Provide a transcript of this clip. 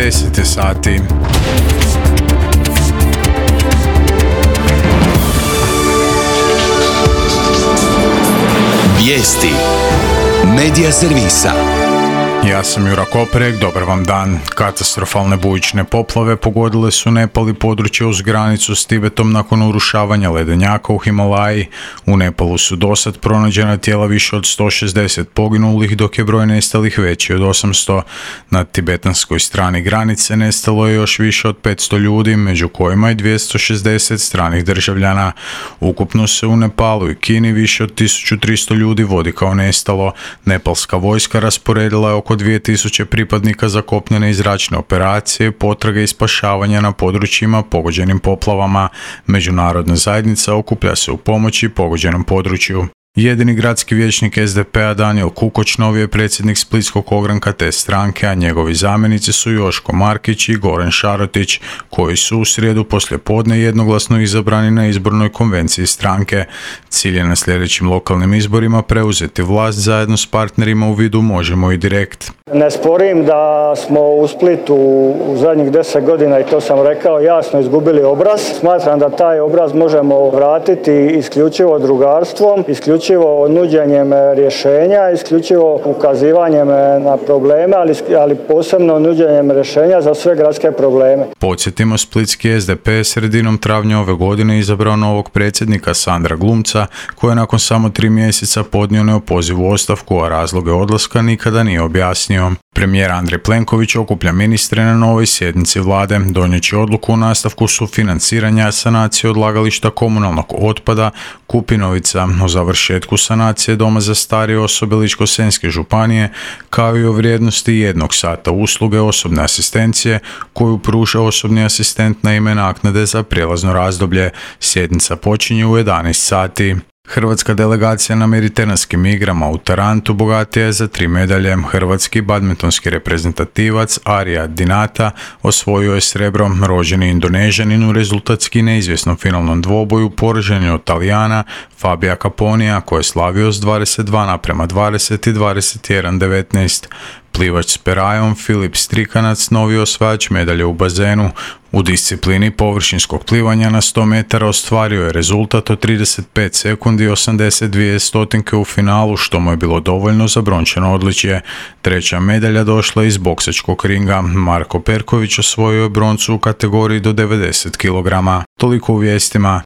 10 sati. Vijesti Medija servisa. Ja sam Jura Koprek, dobar vam dan. Katastrofalne bujične poplave pogodile su Nepal i područje uz granicu s Tibetom nakon urušavanja ledenjaka u Himalaji. U Nepalu su dosad pronađena tijela više od 160 poginulih, dok je broj nestalih veći od 800. Na tibetanskoj strani granice nestalo je još više od 500 ljudi, među kojima je 260 stranih državljana. Ukupno se u Nepalu i Kini više od 1300 ljudi vodi kao nestalo. Nepalska vojska rasporedila je oko 2000 pripadnika za kopnene i zračne operacije, potrage i spašavanja na područjima pogođenim poplavama. Međunarodna zajednica okuplja se u pomoći pogođenom području. Jedini gradski vijećnik SDP-a Danijel Kukoč novi je predsjednik splitskog ogranka te stranke, a njegovi zamjenici su Joško Markić i Goran Šarotić, koji su u srijedu poslijepodne jednoglasno izabrani na izbornoj konvenciji stranke. Cilj je na sljedećim lokalnim izborima preuzeti vlast zajedno s partnerima u vidu Možemo i Direkt. Ne sporim da smo u Splitu u zadnjih 10 godina, i to sam rekao, jasno izgubili obraz. Smatram da taj obraz možemo vratiti isključivo drugarstvom, isključivo nuđenjem rješenja, isključivo ukazivanjem na probleme, ali posebno nuđenjem rješenja za sve gradske probleme. Podsjetimo, splitski SDP sredinom travnja ove godine izabrao novog predsjednika Sandra Glumca, koji je nakon samo 3 mjeseca podnio neopozivu ostavku, a razloge odlaska nikada nije objasnio. Premijer Andrej Plenković okuplja ministre na novoj sjednici vlade, donijeći odluku o nastavku sufinanciranja sanacije odlagališta komunalnog otpada Kupinovica, o završetku sanacije doma za starije osobe Ličko-senjske županije, kao i o vrijednosti 1 sata usluge osobne asistencije koju pruža osobni asistent na ime naknade za prijelazno razdoblje. Sjednica počinje u 11 sati. Hrvatska delegacija na Mediteranskim igrama u Tarantu bogatija je za 3 medalje. Hrvatski badmintonski reprezentativac Arija Dinata osvojio je srebro. Rođeni Indonežanin u rezultatski neizvjesnom finalnom dvoboju poražen je od Talijana Fabija Caponija, koji je slavio s 22:20 i 21:19. Plivač s perajom Filip Strikanac novi osvajač medalje u bazenu. U disciplini površinskog plivanja na 100 metara ostvario je rezultat od 35 sekundi i 82 stotinke u finalu, što mu je bilo dovoljno za brončano odličje. Treća medalja došla iz boksačkog ringa. Marko Perković osvojio je broncu u kategoriji do 90 kg. Toliko u vijestima.